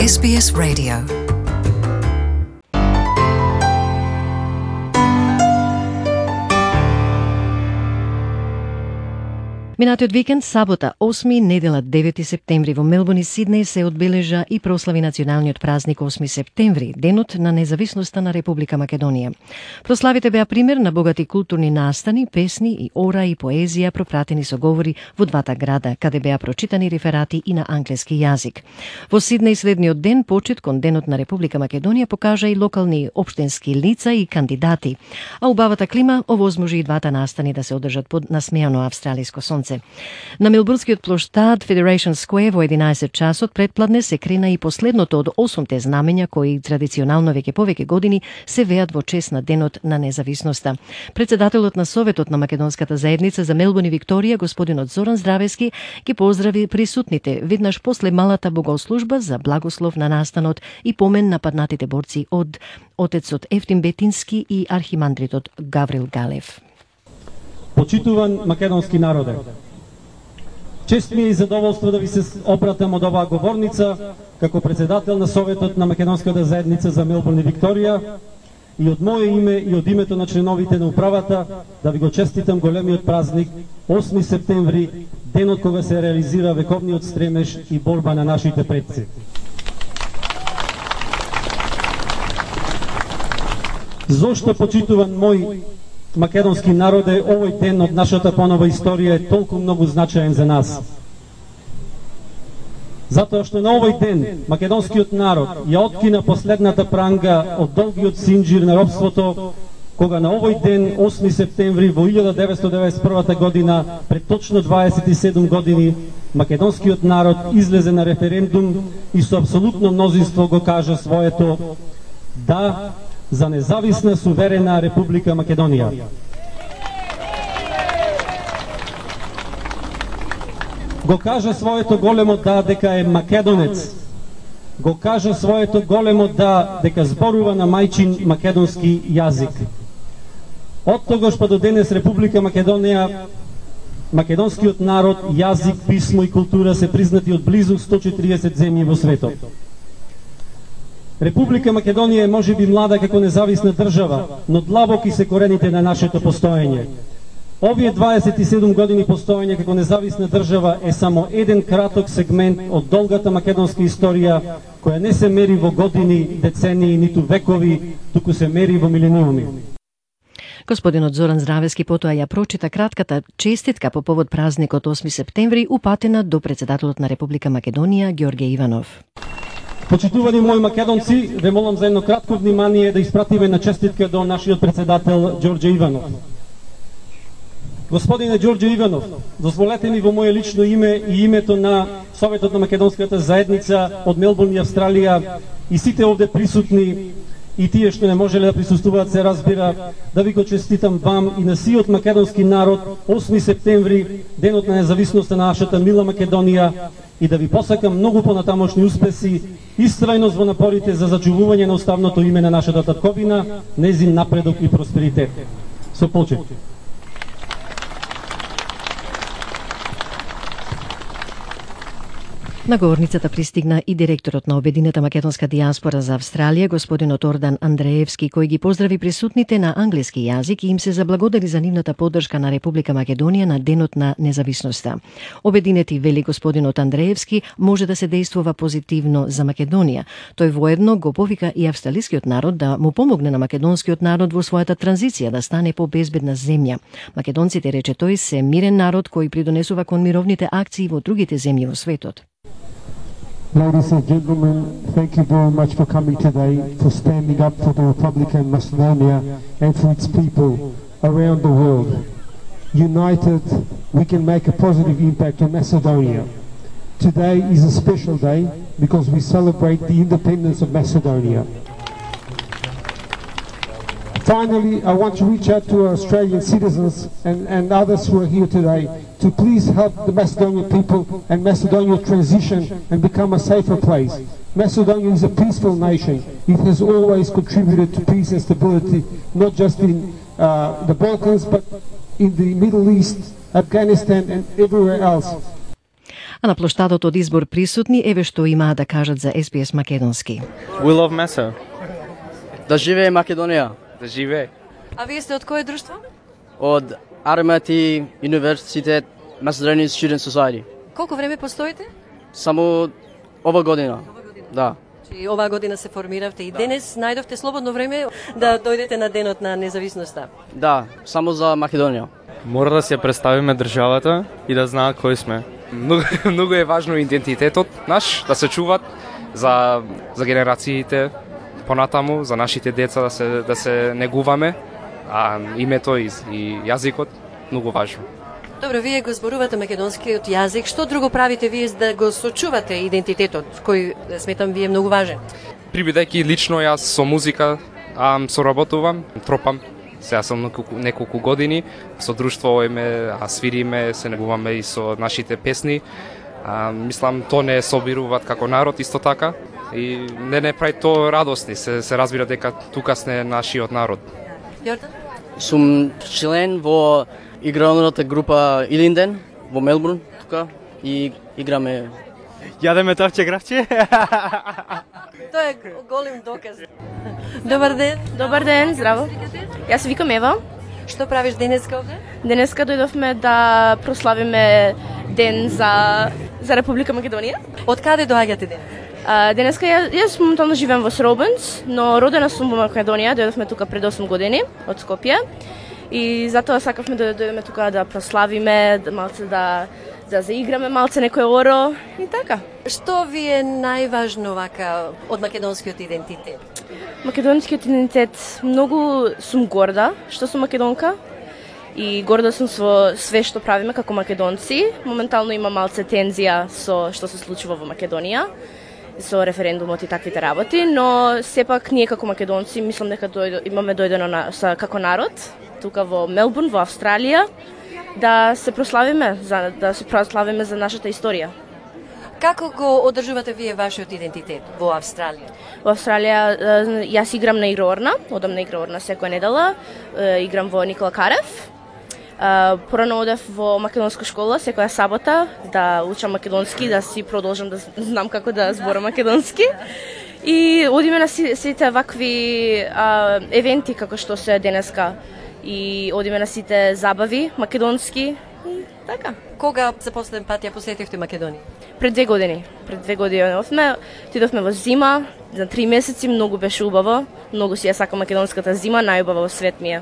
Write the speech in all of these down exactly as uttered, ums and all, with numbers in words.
Ес Би Ес Radio. Минатиот викенд, сабота, осми, недела, девети септември во Мелбурн и Сиднеј се одбележа и прослави националниот празник осми септември, денот на независноста на Република Македонија. Прославите беа пример на богати културни настани, песни и ора и поезија пропратени со говори во двата града, каде беа прочитани реферати и на англиски јазик. Во Сиднеј следниот ден, почит кон денот на Република Македонија, покажа и локални општински лица и кандидати, а убавата клима овозможи и двата настани да се одржат под насмеано австралиско сонце. На Мелбурнскиот плоштад Federation Square во единаесет часот предпладне се крена и последното од осумте знамења кои традиционално веќе повеќе години се веат во чест на денот на независноста. Председателот на Советот на Македонската заедница за Мелбурн и Викторија, господинот Зоран Здравески, ги поздрави присутните веднаш после малата богослужба за благослов на настанот и помен на паднатите борци од отецот Ефтим Бетински и архимандритот Гаврил Галев. Почитуван македонски народе, чест ми е и задоволство да ви се обратам од оваа говорница како председател на Советот на Македонската заедница за Мелбурн и Викторија и од мое име и од името на членовите на управата да ви го честитам големиот празник осми септември, денот кога се реализира вековниот стремеж и борба на нашите предци. Зошто, почитуван мој македонски народе, овој ден од нашата понова историја е толку многу значаен за нас? Затоа што на овој ден македонскиот народ ја откина последната пранга од долгиот синџир на робството, кога на овој ден, осми септември во илјада деветстотини деветдесет и прва година, пред точно дваесет и седум години, македонскиот народ излезе на референдум и со апсолутно мнозинство го кажа своето да за независна суверена Република Македонија. Го кажа своето големо да дека е македонец. Го кажа своето големо да дека зборува на мајчин македонски јазик. Од тогаш па до денес Република Македонија, македонскиот народ, јазик, писмо и култура се признати од близу сто и четириесет земји во светот. Република Македонија е можеби млада како независна држава, но длабоки се корените на нашето постоење. Овие дваесет и седум години постоење како независна држава е само еден краток сегмент од долгата македонска историја, која не се мери во години, децении, ниту векови, туку се мери во милениуми. Господинот Зоран Здравески потоа ја прочита кратката честитка по повод празникот осми септември, упатена до председателот на Република Македонија Ѓорѓе Иванов. Почитувани мои македонци, ве молам за едно кратко внимание да испратиме на честитка до нашиот председател Ѓорѓе Иванов. Господине Ѓорѓе Иванов, дозволете ми во моје лично име и името на Советот на Македонската заедница од Мелбурн и Австралија и сите овде присутни и тие што не можеле да присуствуваат, се разбира, да ви го честитам вам и на сиот македонски народ осми септември, денот на независноста на нашата мила Македонија, и да ви посакам многу понатамошни успеси, истрајност во напорите за зачувување на уставното име на нашата татковина, незин напредок и просперитет. Со почет. На говорницата пристигна и директорот на Обединета македонска дијаспора за Австралија, господинот Ордан Андреевски, кој ги поздрави присутните на англиски јазик и им се заблагодари за нивната поддршка на Република Македонија на денот на независноста. Обединети, вели господинот Андреевски, може да се действува позитивно за Македонија. Тој воедно го повика и австралискиот народ да му помогне на македонскиот народ во својата транзиција да стане побезбедна земја. Македонците, рече тој, се мирен народ кој придонесува кон мировните акции во другите земји во светот. Ladies and gentlemen, thank you very much for coming today, for standing up for the Republic of Macedonia and for its people around the world. United, we can make a positive impact on Macedonia. Today is a special day because we celebrate the independence of Macedonia. Finally, I want to reach out to our Australian citizens and, and others who are here today to please help the Macedonian people and Macedonia transition and become a safer place. Macedonia is a peaceful nation. It has always contributed to peace and stability, not just in uh, the Balkans, but in the Middle East, Afghanistan and everywhere else. А на плоштадот од избор присутни еве што имаа да кажат за Ес Би Ес македонски. We love Mesa. Да живее Македонија. Да живее. А вие сте од кое друштво? Од Армати Университет Macedonian Student Society. Колку време постоите? Само ова година. Ова година. Да. И оваа година се формиравте и денес најдовте слободно време да дојдете на денот на независноста. Да, само за Македонија. Мора да се представиме државата и да знаат кои сме. Многу, многу е важно идентитетот наш да се чуват за за генерациите понатаму, за нашите деца да се да се негуваме, а името и, и јазикот многу важно. Добро, вие го зборувате македонскиот јазик. Што друго правите вие за да го сочувате идентитетот, кој сметам вие многу важен? Прибидејќи лично јас со музика а, соработувам, тропам. Сега сум неколку, неколку години со друштво име, а свириме, се негуваме и со нашите песни. А, мислам, то не собируваат како народ исто така и не не прави то радосни, се, се разбира дека тука сме нашиот народ. Јордан? Сум член во игралната група Илинден во Мелбурн тука и играме. Јадеме тавче гравче. Тоа е голем доказ. Добар ден. Добар ден, здраво. Јас се викам Ева. Што правиш денеска овде? Денеска дојдовме да прославиме ден за за Република Македонија. Од каде доаѓате денес? А, денеска ја, јас моментално живеам во Сробенц, но родена сум во Македонија, дојдовме тука пред осум години од Скопје. И затоа сакавме да дојдеме тука да прославиме, да малце да да заиграме малце некој оро и така. Што ви е најважно вака од македонскиот идентитет? Македонскиот идентитет, многу сум горда што сум македонка и горда сум со све што правиме како македонци. Моментално има малце тензија со што се случува во Македонија, со референдумот и таквите работи, но сепак ние како македонци мислам дека дојдо, имаме дојдено на, са, како народ тука во Мелбурн, во Австралија, да се прославиме, за, да се прославиме за нашата историја. Како го одржувате вие вашиот идентитет во Австралија? Во Австралија јас играм на игроорна, одам на игроорна секоја недела, играм во Никола Карев. Порано одев во македонска школа секоја сабота да учам македонски, да си продолжам да знам како да зборам македонски. И одиме на сите вакви а, евенти како што се денеска и одиме на сите забави македонски и така. Кога за последен пат ја посетивте Македонија? Пред две години. Пред две години одевме, отидовме во зима, за три месеци, многу беше убаво. Многу си ја сакам македонската зима, најубава во свет ми е.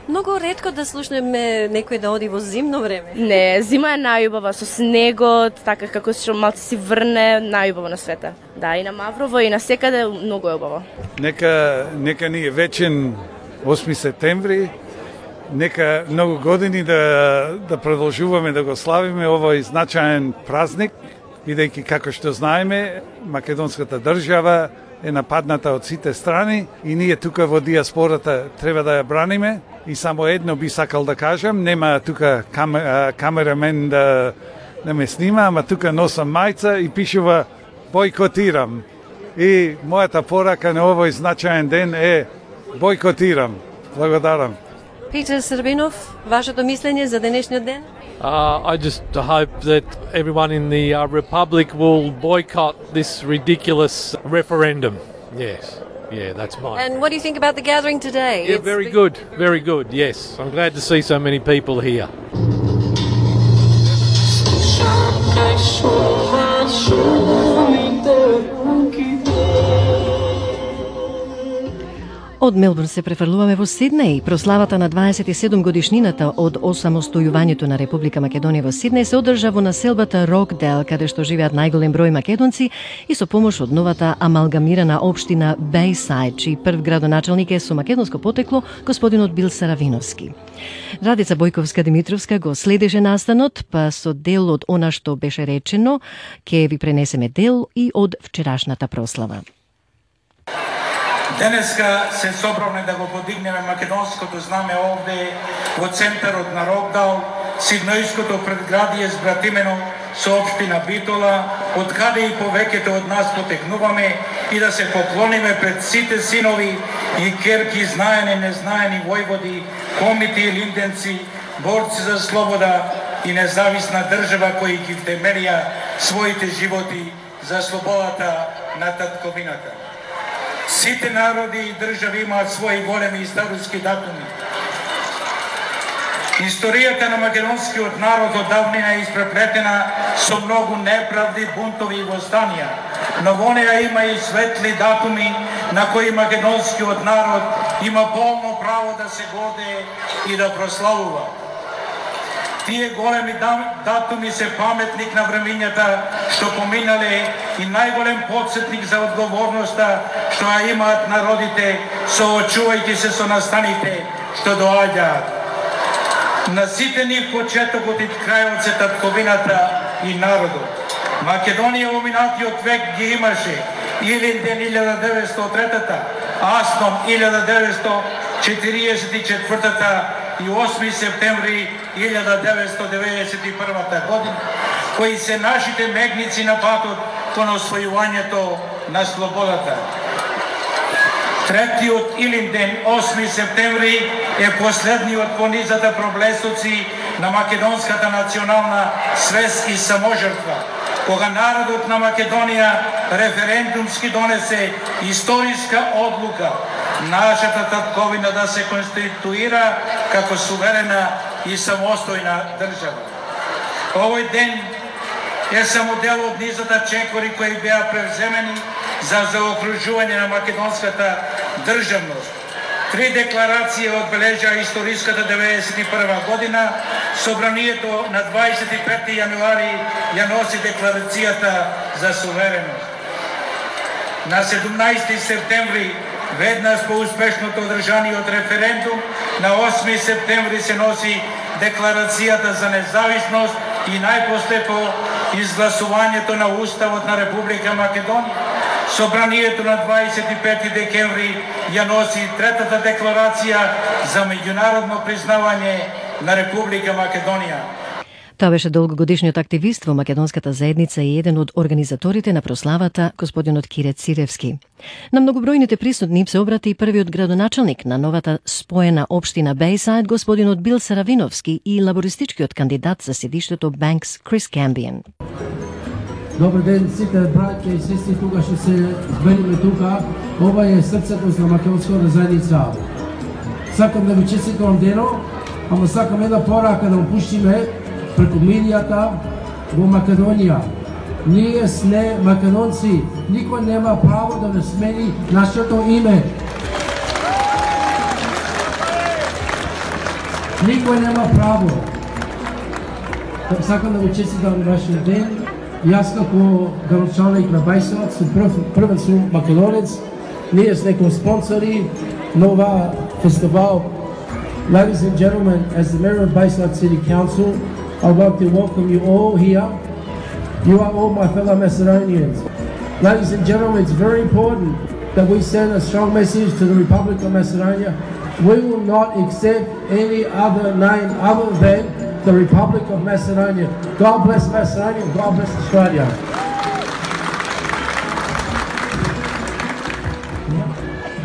Многу ретко да слушнеме некој да оди во зимно време. Не, зима е најубава со снегот, така како што малце си врне, најубаво на света. Да, и на Маврово и на секаде многу е убаво. Нека нека ни е вечен осми септември. Нека многу години да да продолжуваме да го славиме овој значаен празник, бидејќи како што знаеме, македонската држава е нападната од сите страни и ние тука во диаспората треба да ја браниме. И само едно би сакал да кажам, нема тука камера, камерамен да, да ме снима, ама тука носам мајца и пишува бойкотирам. И мојата порака на овој значаен ден е бойкотирам. Благодарам. Питер Србинов, вашето мислење за денешниот ден? Uh, I just hope that everyone in the uh, Republic will boycott this ridiculous referendum. Yes, yeah, that's mine. And what do you think about the gathering today? Yeah, It's very been- good, very good, yes. I'm glad to see so many people here. Од Мелбурн се префрлуваме во Сиднеј. Прославата на дваесет и седум годишнината од осамостојувањето на Република Македонија во Сиднеј се одржа во населбата Рокдел, каде што живеат најголем број македонци и со помош од новата амалгамирана општина Бејсајд, чиј прв градоначалник е со македонско потекло господинот Бил Саравиновски. Радица Бојковска-Димитровска го следеше настанот, па со дел од она што беше речено, ќе ви пренесеме дел и од вчерашната прослава. Денеска се собравме да го подигнеме македонското знаме овде во центарот на Рокдал, Сиднојското предградие збратимено со општина Битола, од каде и повеќето од нас потекнуваме и да се поклониме пред сите синови и керки, знаени и незнаени војводи, комити и линденци, борци за слобода и независна држава кои ги втемелија своите животи за слободата на татковината. Сите народи и држави имаат своји големи историски датуми. Историјата на македонскиот народ од давнина е испреплетена со многу неправди, бунтови и востанија, но во неа има и светли датуми на кои македонскиот народ има полно право да се гордее и да прославува. Тие големи датуми се паметник на времињата што поминале и најголем подсетник за одговорноста што ја имаат народите, соочувајќи се со настаните што доаѓаат. На сите нив почетокот и крајот се татковината и народот. Македонија во минатиот век ги имаше Илинден илјада деветстотини и трета, Аснон илјада деветстотини четириесет и четвртата и осми септември илјада деветстотини деведесет и прва година, кои се нашите мегници на патот кон освојувањето на слободата. Третиот Илинден, осми септември, е последниот во низата проблесоци на македонската национална свест и саможртва, кога народот на Македонија референдумски донесе историска одлука нашата татковина да се конституира како суверена и самостојна држава. Овој ден е само дел од низата чекори кои беа превземени за заокружување на македонската државност. Три декларации одбележа историската деветдесет и прва година, собранието на дваесет и пети јануари ја носи декларацијата за сувереност. На седумнаесети септември, веднаш по успешното одржаниот референдум, на осми септември се носи декларацијата за независност и најпосле по изгласувањето на Уставот на Република Македонија. Собранието на дваесет и пети декември ја носи третата декларација за меѓународно признавање на Република Македонија. Тоа беше долгогодишниот активист во македонската заедница и еден од организаторите на прославата, господинот Кире Циревски. На многобројните присутни се обрати и првиот градоначалник на новата споена општина Бејсаид, господинот Бил Саравиновски, и лабористичкиот кандидат за седиштето Банкс Крис Камбиен. Добар ден сите браќа и сестри тука што се збериме тука. Ова е срцето на македонската заедница. Сакам да ви честитам дено, ама сакам една порака да опуштиме преку медијата во Македонија. Ние сме македонци, никој нема право да не смени нашето име. Никој нема право. Сакам да ви честитам вашиот ден. Јас како градоначалник на Бејсаид сум прв, првен сум македонец. Ние сме како спонсори на ова фестивал. Ladies and gentlemen, as the Mayor of Bејсаid City Council, I'd like to welcome you all here. You are all my fellow Macedonians. Ladies and gentlemen, it's very important that we send a strong message to the Republic of Macedonia. We will not accept any other name other than the Republic of Macedonia. God bless Macedonia, God bless Australia.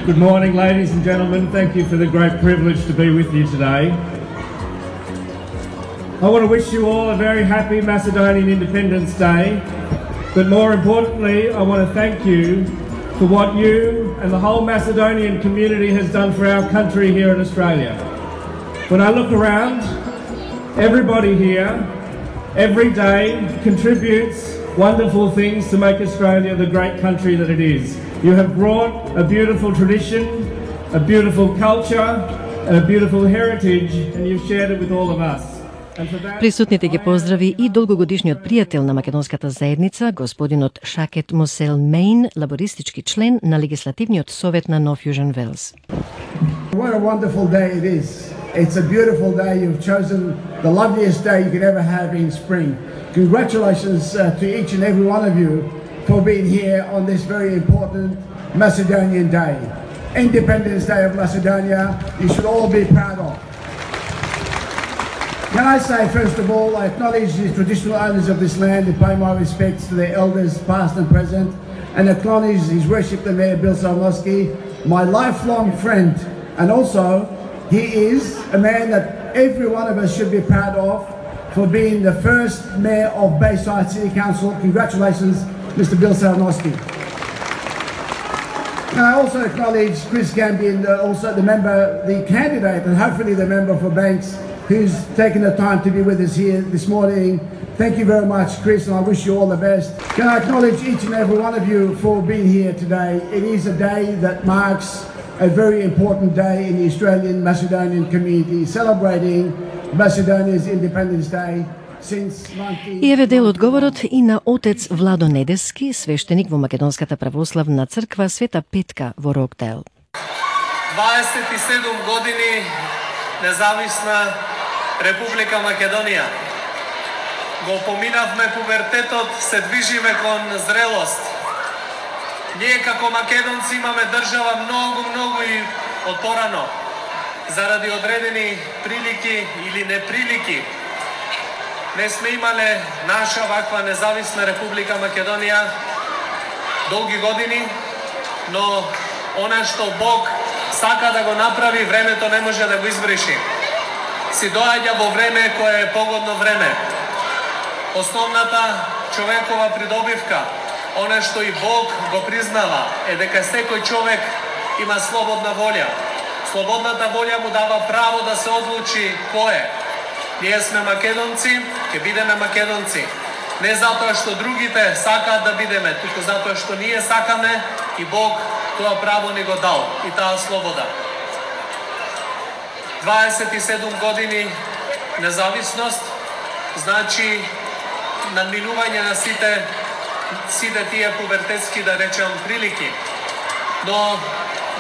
Good morning, ladies and gentlemen. Thank you for the great privilege to be with you today. I want to wish you all a very happy Macedonian Independence Day, but more importantly, I want to thank you for what you and the whole Macedonian community has done for our country here in Australia. When I look around, everybody here, every day, contributes wonderful things to make Australia the great country that it is. You have brought a beautiful tradition, a beautiful culture, and a beautiful heritage, and you've shared it with all of us. Присутните ги поздрави и долгогодишниот пријател на македонската заедница, господинот Шакет Мосел Мейн, лабористички член на легислативниот совет на Нов Јужен Велс. What a wonderful day it is. It's a beautiful day. You've chosen the loveliest day you could ever have in spring. Congratulations uh, to each and every one of you for being here on this very important Macedonian Day. Independence Day of Macedonia, you should all be proud of. Can I say, first of all, I acknowledge the traditional owners of this land and pay my respects to their elders, past and present, and acknowledge His Worship the Mayor Bill Saravinovski, my lifelong friend, and also he is a man that every one of us should be proud of, for being the first mayor of Bayside City Council. Congratulations, Mister Bill Saranowski. And I also acknowledge Chris Gambian, uh, also the member, the candidate, and hopefully the member for Banks, who's taken the time to be with us here this morning. Thank you very much, Chris, and I wish you all the best. Can I acknowledge each and every one of you for being here today? It is a day that marks a very important day in the Australian Macedonian community, celebrating Macedonia's Independence Day. И еве дел од говорот и на отец Владо Недески, свештеник во Македонската православна црква Света Петка во Рокдейл. дваесет и седум години независна Република Македонија. Го поминавме пубертетот, се движиме кон зрелост. Ние како македонци имаме држава многу, многу и отпорано. Заради одредени прилики или неприлики, не сме имале наша ваква независна Република Македонија долги години, но она што Бог сака да го направи, времето не може да го избриши. Си доаѓа во време кое е погодно време. Основната човекова придобивка, она што и Бог го признава, е дека секој човек има слободна волја. Слободната волја му дава право да се одлучи кој е. Ние сме македонци, ќе бидеме македонци. Не затоа што другите сакаат да бидеме, туку затоа што ние сакаме и Бог тоа право ни го дал и таа слобода. дваесет и седум години независност значи надминување на сите сите тие пубертетски, да речем, прилики. Но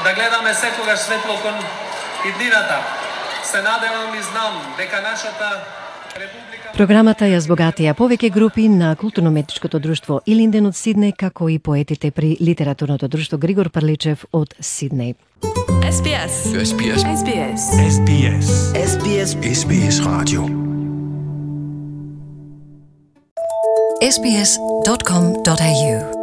да гледаме секогаш светло кон иднината. Се надевам и знам дека нашата република... Програмата ја збогатија повеќе групи на културно-уметничкото друштво Илинден од Сиднеј, како и поетите при литературното друштво Григор Парличев од Сиднеј. S B S. S B S. S B S. S B S. S B S. S B S Radio. S B S dot com dot A U